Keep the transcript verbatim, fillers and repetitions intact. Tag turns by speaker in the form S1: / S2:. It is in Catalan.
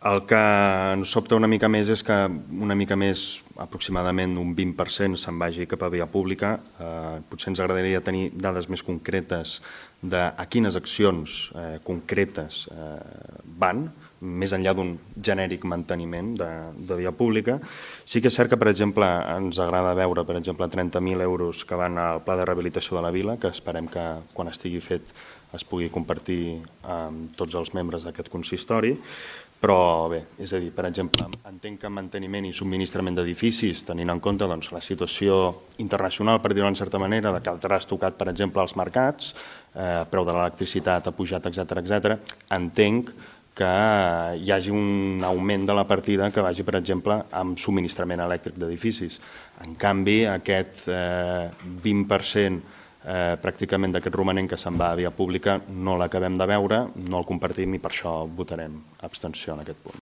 S1: El que ens sobta una mica més és que una mica més, aproximadament un vint per cent, se'n vagi cap a via pública. Eh, potser ens agradaria tenir dades més concretes de a quines accions eh, concretes eh, van, més enllà d'un genèric manteniment de, de via pública. Sí que és cert que, per exemple, ens agrada veure, per exemple, trenta mil euros que van al pla de rehabilitació de la vila, que esperem que quan estigui fet es pugui compartir amb tots els membres d'aquest consistori. Però bé, és a dir, per exemple, entenc que manteniment i subministrament d'edificis, tenint en compte doncs, la situació internacional, per dir-ho en certa manera, de que el tras tocat, per exemple, als mercats, eh, preu de l'electricitat ha pujat, etcètera, etcètera, entenc que hi hagi un augment de la partida que vagi, per exemple, amb subministrament elèctric d'edificis. En canvi, aquest eh, vint per cent Eh, pràcticament d'aquest romanent que se'n va a via pública no l'acabem de veure, no el compartim i per això votarem abstenció en aquest punt.